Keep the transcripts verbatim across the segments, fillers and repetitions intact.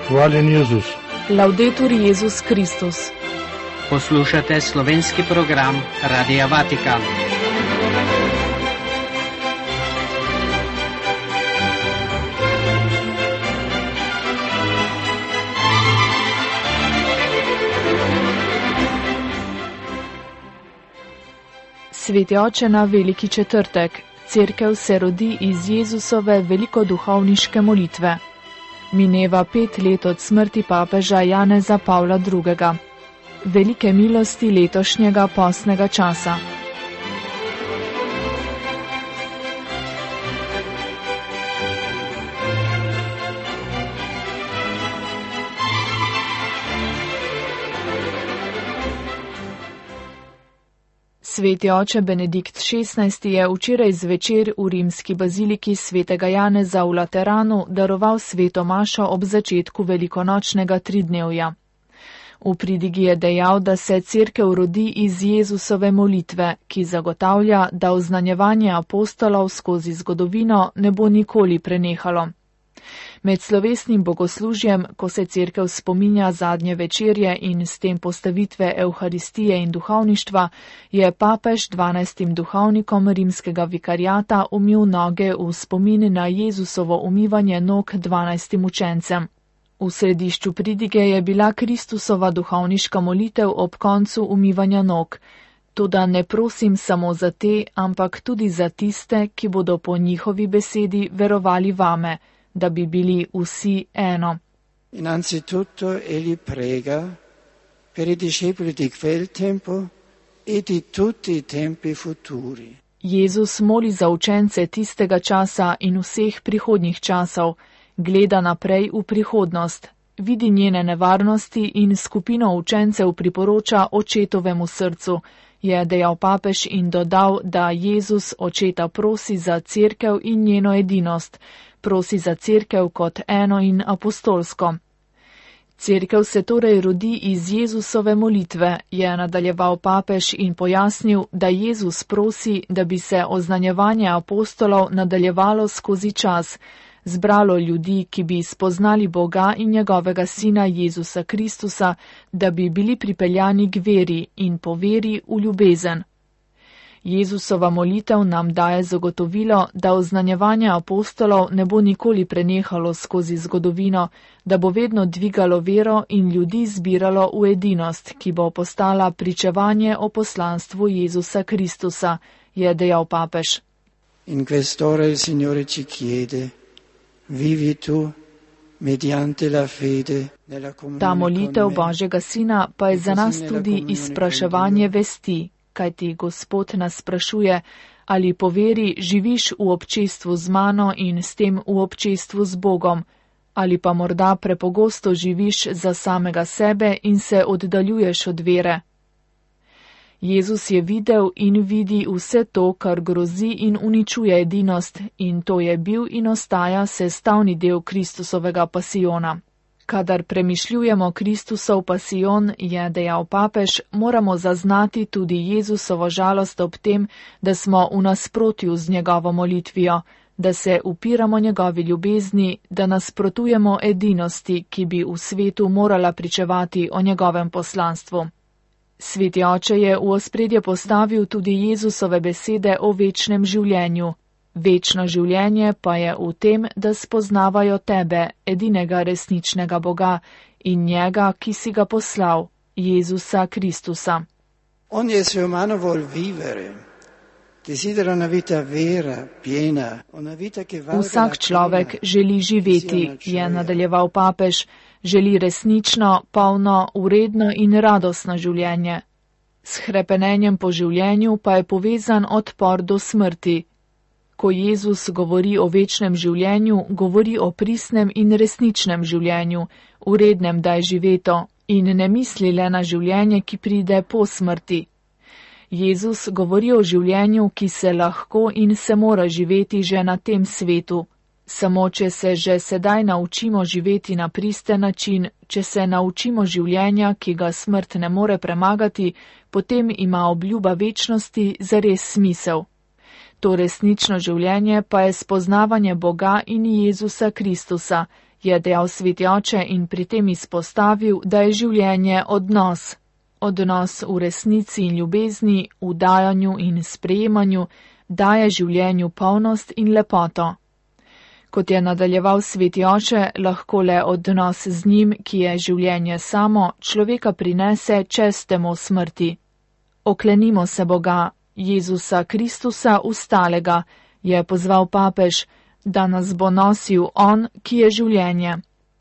Hvaljen Jezus. Laudetur Jezus Kristus. Poslušate slovenski program Radia Vatikan. Sveti oče na veliki četrtek. Cerkev se rodi iz Jezusove velikoduhovniške molitve. Mineva pet let od smrti papeža Janeza Pavla drugega. Velike milosti letošnjega postnega časa. Sveti oče Benedikt šestnajsti je včeraj zvečer v rimski baziliki svetega Janeza v Lateranu daroval sveto mašo ob začetku velikonočnega tridnevja. V pridigi je dejal, da se cerkev rodi iz Jezusove molitve, ki zagotavlja, da oznanjevanje apostolov skozi zgodovino ne bo nikoli prenehalo. Med slovesnim bogoslužjem, ko se cerkev spominja zadnje večerje in s tem postavitve Evharistije in duhovništva, je papež dvanajstim duhovnikom rimskega vikariata umil noge v spomin na Jezusovo umivanje nog dvanajstim učencem. V središču pridige je bila Kristusova duhovniška molitev ob koncu umivanja nog. Toda ne prosim samo za te, ampak tudi za tiste, ki bodo po njihovi besedi verovali vame, da bi bili vsi eno. Innanzitutto egli prega per i discepoli di quel tempo e di tutti i tempi futuri. Jezus moli za učence tistega časa in vseh prihodnjih časov, gleda naprej v prihodnost, vidi njene nevarnosti in skupino učencev priporoča očetovemu srcu, je dejal papež in dodal, da Jezus očeta prosi za cerkev in njeno edinost, prosi za cerkev kot eno in apostolsko. Cerkev se torej rodi iz Jezusove molitve, je nadaljeval papež in pojasnil, da Jezus prosi, da bi se oznanjevanje apostolov nadaljevalo skozi čas, zbralo ljudi, ki bi spoznali Boga in njegovega sina Jezusa Kristusa, da bi bili pripeljani k veri in po veri v ljubezen. Jezusova molitev nam daje zagotovilo, da oznanjevanje apostolov ne bo nikoli prenehalo skozi zgodovino, da bo vedno dvigalo vero in ljudi zbiralo v edinost, ki bo postala pričevanje o poslanstvu Jezusa Kristusa, je dejal papež. In quest'ora il Signore ci chiede, vivi tu mediante la fede nella comunione. Ta molitev Božjega Sina pa je za nas tudi izpraševanje vesti, kajti Gospod nas sprašuje, ali po veri živiš v občestvu z mano in s tem v občestvu z Bogom, ali pa morda prepogosto živiš za samega sebe in se oddaljuješ od vere. Jezus je videl in vidi vse to, kar grozi in uničuje edinost, in to je bil in ostaja sestavni del Kristusovega pasijona. Kadar premišljujemo Kristusov pasijon, je dejal papež, moramo zaznati tudi Jezusovo žalost ob tem, da smo v nasprotju z njegovo molitvijo, da se upiramo njegovi ljubezni, da nasprotujemo edinosti, ki bi v svetu morala pričevati o njegovem poslanstvu. Sveti oče je v ospredje postavil tudi Jezusove besede o večnem življenju. Večno življenje pa je v tem, da spoznavajo tebe, edinega resničnega Boga in njega, ki si ga poslal, Jezusa Kristusa. Ogni essere umano vuol vivere, desidera una vita vera, piena, una vita che valga la pena. Vsak človek želi živeti, je nadaljeval papež, želi resnično, polno, uredno in radostno življenje. S hrepenenjem po življenju pa je povezan odpor do smrti. Ko Jezus govori o večnem življenju, govori o pristnem in resničnem življenju, urednem, da je živeto, in ne misli le na življenje, ki pride po smrti. Jezus govori o življenju, ki se lahko in se mora živeti že na tem svetu. Samo če se že sedaj naučimo živeti na pristen način, če se naučimo življenja, ki ga smrt ne more premagati, potem ima obljuba večnosti zares smisel. To resnično življenje pa je spoznavanje Boga in Jezusa Kristusa je dejal sveti oče in pri tem izpostavil, da je življenje odnos. Odnos v resnici in ljubezni, v dajanju in sprejemanju, daje življenju polnost in lepoto. Kot je nadaljeval sveti oče, lahko le odnos z njim, ki je življenje samo, človeka prinese čez temo smrti. Oklenimo se Boga, Jezusa Kristusa ustalega, je pozval papež, da nas bo nosil on, ki je življenje.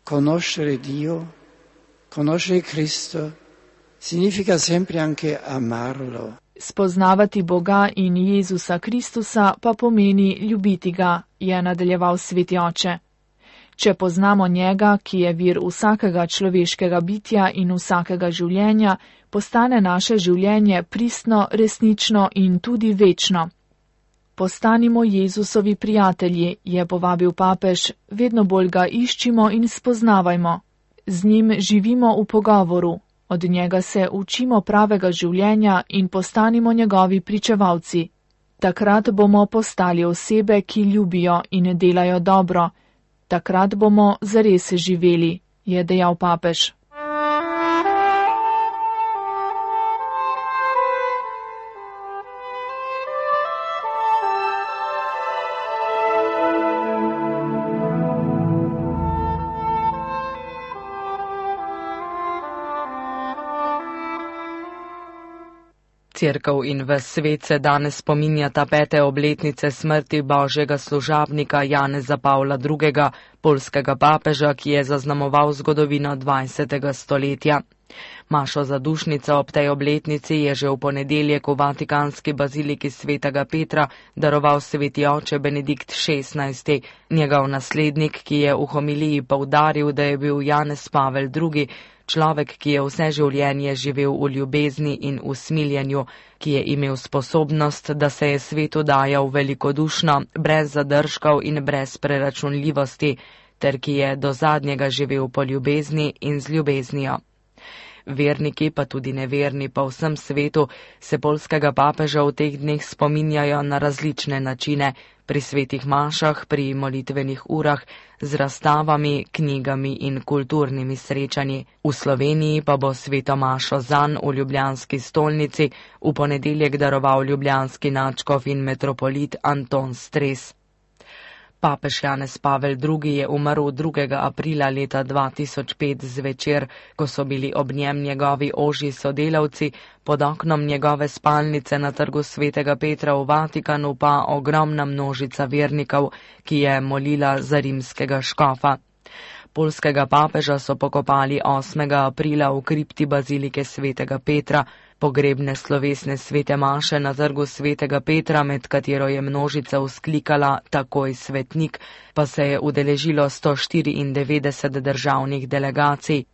Conoscere Dio, conoscere Cristo, significa sempre anche amarlo. Spoznavati Boga in Jezusa Kristusa pa pomeni ljubiti ga, je nadaljeval sveti oče. Če poznamo njega, ki je vir vsakega človeškega bitja in vsakega življenja, postane naše življenje pristno, resnično in tudi večno. Postanimo Jezusovi prijatelji, je povabil papež, vedno bolj ga iščimo in spoznavajmo. Z njim živimo v pogovoru. Od njega se učimo pravega življenja in postanimo njegovi pričevalci. Takrat bomo postali osebe, ki ljubijo in delajo dobro. Takrat bomo zares živeli, je dejal papež. Cerkev in ves svet se danes spominjata pete obletnice smrti božjega služabnika Janeza Pavla drugega, poljskega papeža, ki je zaznamoval zgodovino dvajsetega stoletja. Mašo zadušnica ob tej obletnici je že v ponedeljek v vatikanski baziliki svetega Petra daroval sveti oče Benedikt šestnajsti, njegov naslednik, ki je v homiliji poudaril, da je bil Janez Pavel drugi, človek, ki je vse življenje živel v ljubezni in usmiljenju, ki je imel sposobnost, da se je svetu dajal velikodušno, brez zadržkov in brez preračunljivosti, ter ki je do zadnjega živel po ljubezni in z ljubeznijo. Verniki, pa tudi neverni po vsem svetu, se poljskega papeža v teh dneh spominjajo na različne načine, pri svetih mašah, pri molitvenih urah, z razstavami, knjigami in kulturnimi srečanji. V Sloveniji pa bo sveto mašo zanj v ljubljanski stolnici v ponedeljek daroval ljubljanski nadškof in metropolit Anton Stres. Papež Janez Pavel drugi je umrl drugega aprila leta dva tisoč pet zvečer, ko so bili ob njem njegovi ožji sodelavci, pod oknom njegove spalnice na trgu svetega Petra v Vatikanu pa ogromna množica vernikov, ki je molila za rimskega škofa. Poljskega papeža so pokopali osmega aprila v kripti bazilike svetega Petra. Pogrebne slovesne svete maše na trgu svetega Petra, med katero je množica vzklikala takoj svetnik, pa se je udeležilo sto štiriindevetdeset državnih delegacij.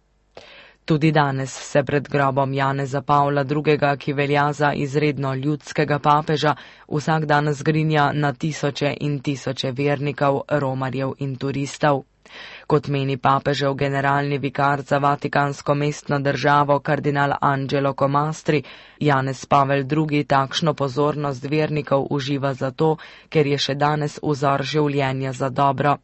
Tudi danes se pred grobom Janeza Pavla drugega, ki velja za izredno ljudskega papeža, vsak dan zgrinja na tisoče in tisoče vernikov, romarjev in turistov. Kot meni papežev generalni vikar za vatikansko mestno državo kardinal Angelo Comastri, Janez Pavel drugi takšno pozornost vernikov uživa zato, ker je še danes vzor življenja za dobro.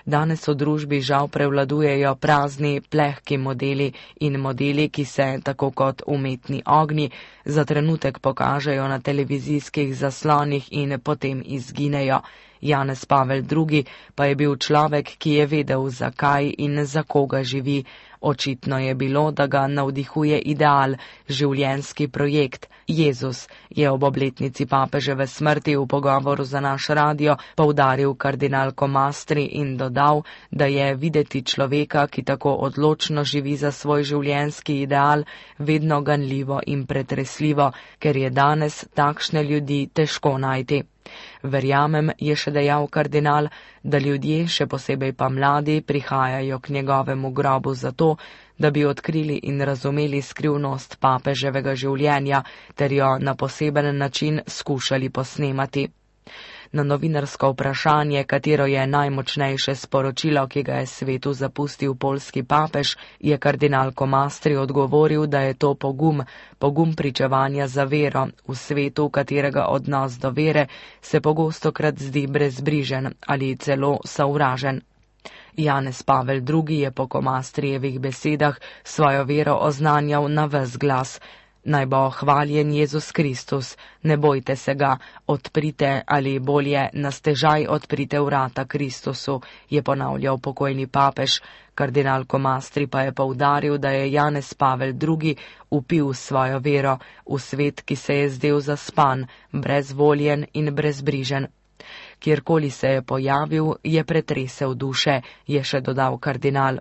Danes v družbi žal prevladujejo prazni, plehki modeli in modeli, ki se, tako kot umetni ognji, za trenutek pokažejo na televizijskih zaslonih in potem izginejo. Janez Pavel drugi pa je bil človek, ki je vedel, zakaj in za koga živi. Očitno je bilo, da ga navdihuje ideal, življenjski projekt. Jezus, je ob obletnici papeževe smrti v pogovoru za naš radio poudaril kardinal Comastri in dodal, da je videti človeka, ki tako odločno živi za svoj življenjski ideal, vedno ganljivo in pretresljivo, ker je danes takšne ljudi težko najti. Verjamem, je še dejal kardinal, da ljudje, še posebej pa mladi, prihajajo k njegovemu grobu zato, da bi odkrili in razumeli skrivnost papeževega življenja ter jo na poseben način skušali posnemati. Na novinarsko vprašanje, katero je najmočnejše sporočilo, ki ga je svetu zapustil poljski papež, je kardinal Comastri odgovoril, da je to pogum, pogum pričevanja za vero v svetu, katerega odnos do vere se pogostokrat zdi brezbrižen ali celo sovražen. Janez Pavel drugi je po Komastrijevih besedah svojo vero oznanjal na ves glas. Naj bo hvaljen Jezus Kristus, ne bojte se ga, odprite ali bolje na stežaj odprite vrata Kristusu, je ponavljal pokojni papež. Kardinal Komastri pa je poudaril, da je Janez Pavel drugi vpil svojo vero v svet, ki se je zdel zaspan, brezvoljen in brezbrižen. Kjerkoli se je pojavil, je pretresel duše, je še dodal kardinal.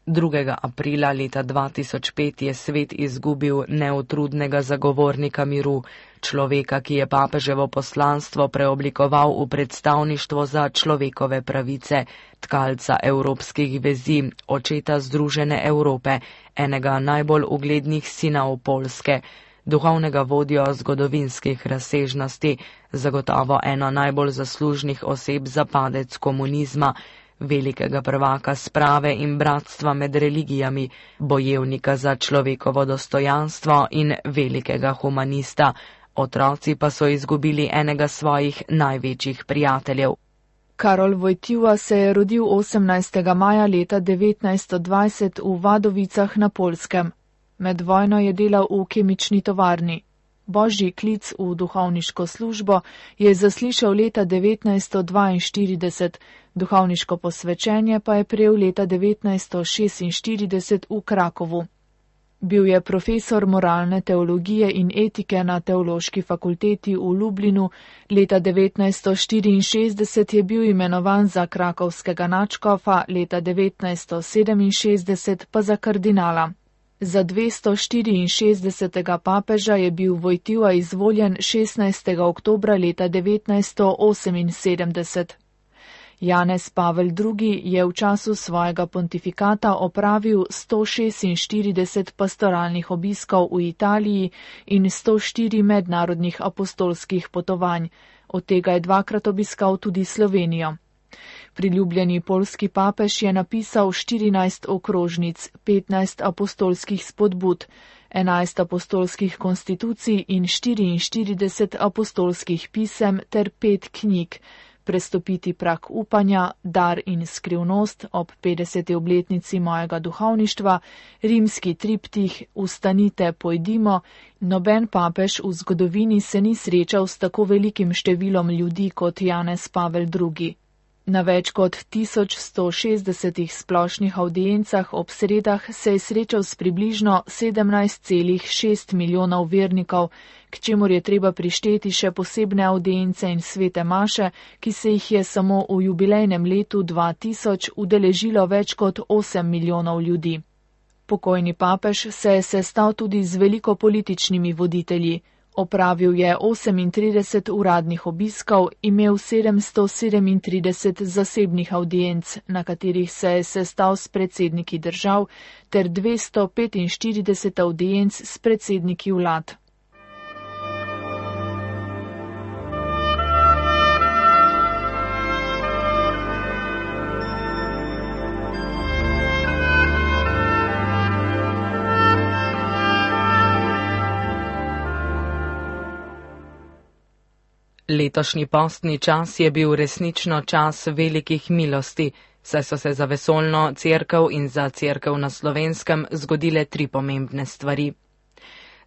drugega aprila leta dva tisoč pet je svet izgubil neutrudnega zagovornika miru, človeka, ki je papeževo poslanstvo preoblikoval v predstavništvo za človekove pravice, tkalca evropskih vezi, očeta Združene Evrope, enega najbolj uglednih sinov Poljske, duhovnega vodjo zgodovinskih razsežnosti, zagotovo eno najbolj zaslužnih oseb za padec komunizma, velikega prvaka sprave in bratstva med religijami, bojevnika za človekovo dostojanstvo in velikega humanista. Otroci pa so izgubili enega svojih največjih prijateljev. Karol Wojtyła se je rodil osemnajstega maja leta devetnajststo dvajset v Vadovicah na Poljskem. Med vojno je delal v kemični tovarni. Božji klic v duhovniško službo je zaslišal leta devetnajststo dvainštirideset, duhovniško posvečenje pa je prejel leta devetnajststo šestinštirideset v Krakovu. Bil je profesor moralne teologije in etike na Teološki fakulteti v Lublinu, leta devetnajststo štiriinšestdeset je bil imenovan za krakovskega nadškofa, leta devetnajststo sedeminšestdeset pa za kardinala. Za dvesto štiriinšestdesetega papeža je bil Wojtyła izvoljen šestnajstega oktobra leta devetnajststo oseminsedemdeset. Janez Pavel drugi je v času svojega pontifikata opravil sto šestinštirideset pastoralnih obiskov v Italiji in sto štiri mednarodnih apostolskih potovanj, od tega je dvakrat obiskal tudi Slovenijo. Priljubljeni poljski papež je napisal štirinajst okrožnic, petnajst apostolskih spodbud, enajst apostolskih konstitucij in štiriinštirideset apostolskih pisem ter pet knjig, Prestopiti prak upanja, Dar in skrivnost ob petdeseti obletnici mojega duhovništva, Rimski triptih, Vstanite, pojdimo. Noben papež v zgodovini se ni srečal s tako velikim številom ljudi kot Janez Pavel drugi. Na več kot tisoč sto šestdesetih splošnih avdiencah ob sredah se je srečal s približno sedemnajst celih šest milijonov vernikov, k čemur je treba prišteti še posebne avdience in svete maše, ki se jih je samo v jubilejnem letu dva tisoč udeležilo več kot osem milijonov ljudi. Pokojni papež se je sestal tudi z veliko političnimi voditelji. Opravil je osemintrideset uradnih obiskov, imel sedemsto sedemintrideset zasebnih avdienc, na katerih se je sestal s predsedniki držav, ter dvesto petinštirideset avdienc s predsedniki vlad. Letošnji postni čas je bil resnično čas velikih milosti, saj so se za vesoljno cerkev in za cerkev na Slovenskem zgodile tri pomembne stvari.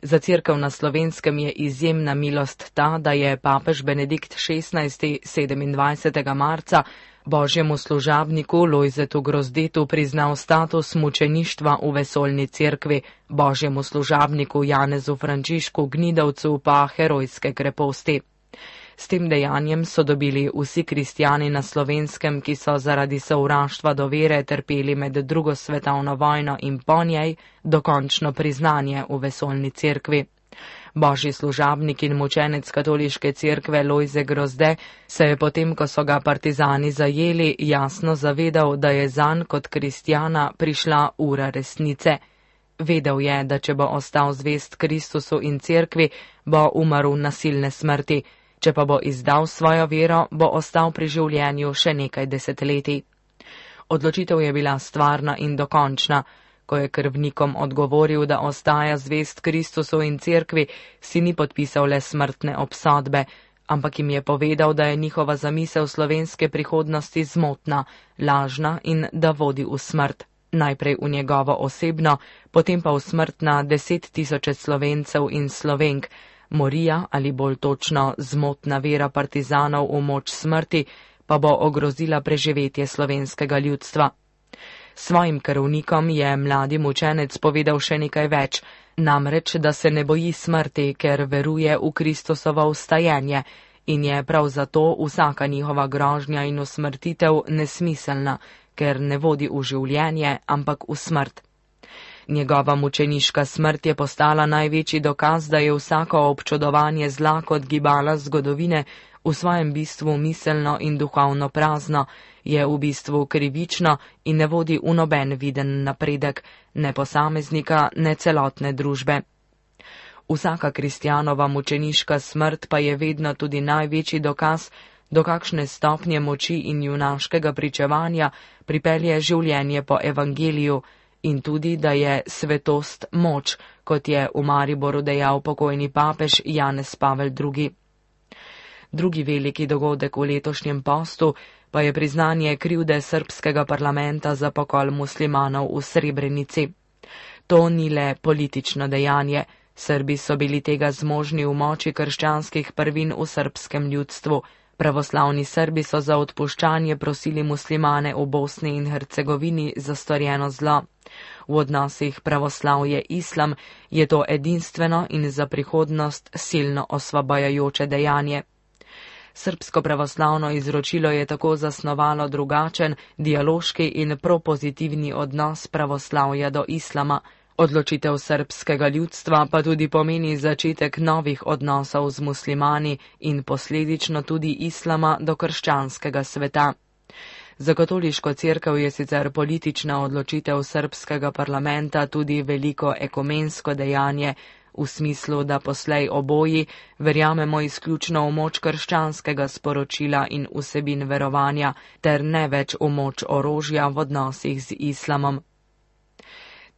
Za cerkev na Slovenskem je izjemna milost ta, da je papež Benedikt šestnajsti sedemindvajsetega marca božjemu služabniku Lojzetu Grozdetu priznal status mučeništva v vesoljni cerkvi, božjemu služabniku Janezu Frančišku Gnidovcu pa herojske kreposti. S tem dejanjem so dobili vsi kristjani na Slovenskem, ki so zaradi sovraštva do vere trpeli med drugo svetovno vojno in po njej, dokončno priznanje v vesoljni cerkvi. Božji služabnik in mučenec katoliške cerkve Lojze Grozde se je potem, ko so ga partizani zajeli, jasno zavedal, da je zanj kot kristjana prišla ura resnice. Vedel je, da če bo ostal zvest Kristusu in cerkvi, bo umrl nasilne smrti. Če pa bo izdal svojo vero, bo ostal pri življenju še nekaj desetletij. Odločitev je bila stvarna in dokončna. Ko je krvnikom odgovoril, da ostaja zvest Kristusu in cerkvi, si ni podpisal le smrtne obsodbe, ampak jim je povedal, da je njihova zamisel slovenske prihodnosti zmotna, lažna in da vodi v smrt. Najprej v njegovo osebno, potem pa v smrt na deset tisoče Slovencev in Slovenk. Morija, ali bolj točno zmotna vera partizanov v moč smrti, pa bo ogrozila preživetje slovenskega ljudstva. Svojim krvnikom je mladi mučenec povedal še nekaj več, namreč, da se ne boji smrti, ker veruje v Kristusovo vstajenje in je prav zato vsaka njihova grožnja in usmrtitev nesmiselna, ker ne vodi v življenje, ampak v smrt. Njegova mučeniška smrt je postala največji dokaz, da je vsako občudovanje zla kot gibala zgodovine v svojem bistvu miselno in duhovno prazno, je v bistvu krivično in ne vodi v noben viden napredek, ne posameznika, ne celotne družbe. Vsaka kristjanova mučeniška smrt pa je vedno tudi največji dokaz, do kakšne stopnje moči in junaškega pričevanja pripelje življenje po evangeliju in tudi, da je svetost moč, kot je v Mariboru dejal pokojni papež Janez Pavel drugi. Drugi veliki dogodek v letošnjem postu pa je priznanje krivde srbskega parlamenta za pokol muslimanov v Srebrenici. To ni le politično dejanje, Srbi so bili tega zmožni v moči krščanskih prvin v srbskem ljudstvu. Pravoslavni Srbi so za odpuščanje prosili muslimane v Bosni in Hercegovini za storjeno zlo. V odnosih pravoslavje-islam je to edinstveno in za prihodnost silno osvobajajoče dejanje. Srbsko pravoslavno izročilo je tako zasnovalo drugačen, dialoški in propozitivni odnos pravoslavja do islama. Odločitev srbskega ljudstva pa tudi pomeni začetek novih odnosov z muslimani in posledično tudi islama do krščanskega sveta. Za katoliško cerkev je sicer politična odločitev srbskega parlamenta tudi veliko ekumensko dejanje, v smislu, da poslej oboji verjamemo izključno v moč krščanskega sporočila in vsebin verovanja, ter ne več v moč orožja v odnosih z islamom.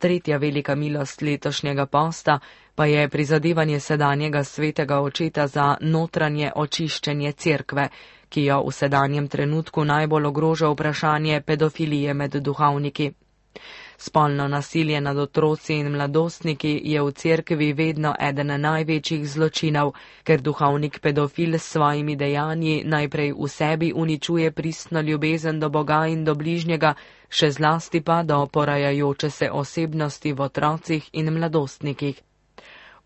Tretja velika milost letošnjega posta pa je prizadevanje sedanjega svetega očeta za notranje očiščenje cerkve, ki jo v sedanjem trenutku najbolj ogroža vprašanje pedofilije med duhovniki. Spolno nasilje nad otroci in mladostniki je v cerkvi vedno eden največjih zločinov, ker duhovnik pedofil s svojimi dejanji najprej v sebi uničuje pristno ljubezen do Boga in do bližnjega, še zlasti pa do porajajoče se osebnosti v otrocih in mladostnikih.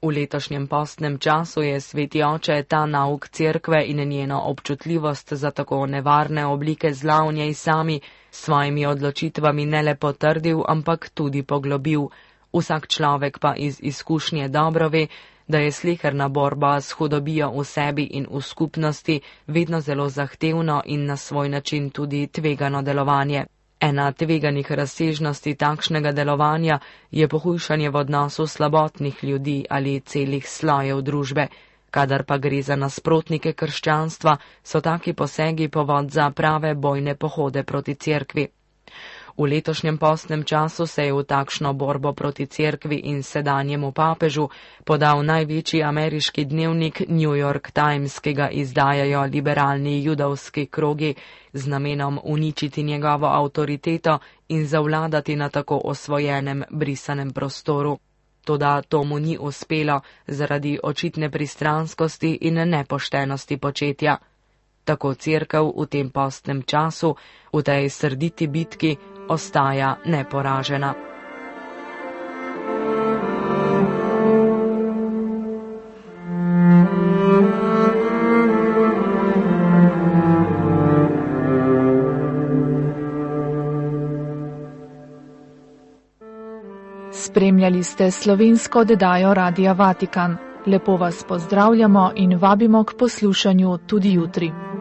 V letošnjem postnem času je sveti oče ta nauk cerkve in njeno občutljivost za tako nevarne oblike zla v njej sami s svojimi odločitvami ne le potrdil, ampak tudi poglobil. Vsak človek pa iz izkušnje dobro ve, da je sleherna borba s hudobijo v sebi in v skupnosti vedno zelo zahtevno in na svoj način tudi tvegano delovanje. Ena tveganih razsežnosti takšnega delovanja je pohujšanje v odnosu slabotnih ljudi ali celih slojev družbe. Kadar pa gre za nasprotnike krščanstva, so taki posegi povod za prave bojne pohode proti cerkvi. V letošnjem postnem času se je v takšno borbo proti cerkvi in sedanjemu papežu podal največji ameriški dnevnik New York Times, ki ga izdajajo liberalni judovski krogi z namenom uničiti njegovo avtoriteto in zavladati na tako osvojenem brisanem prostoru. Toda to mu ni uspelo zaradi očitne pristranskosti in nepoštenosti početja. Tako cerkev v tem postnem času, v tej srditi bitki, ostaja neporažena. Spremljali ste slovensko oddajo Radia Vatikan. Lepo vas pozdravljamo in vabimo k poslušanju tudi jutri.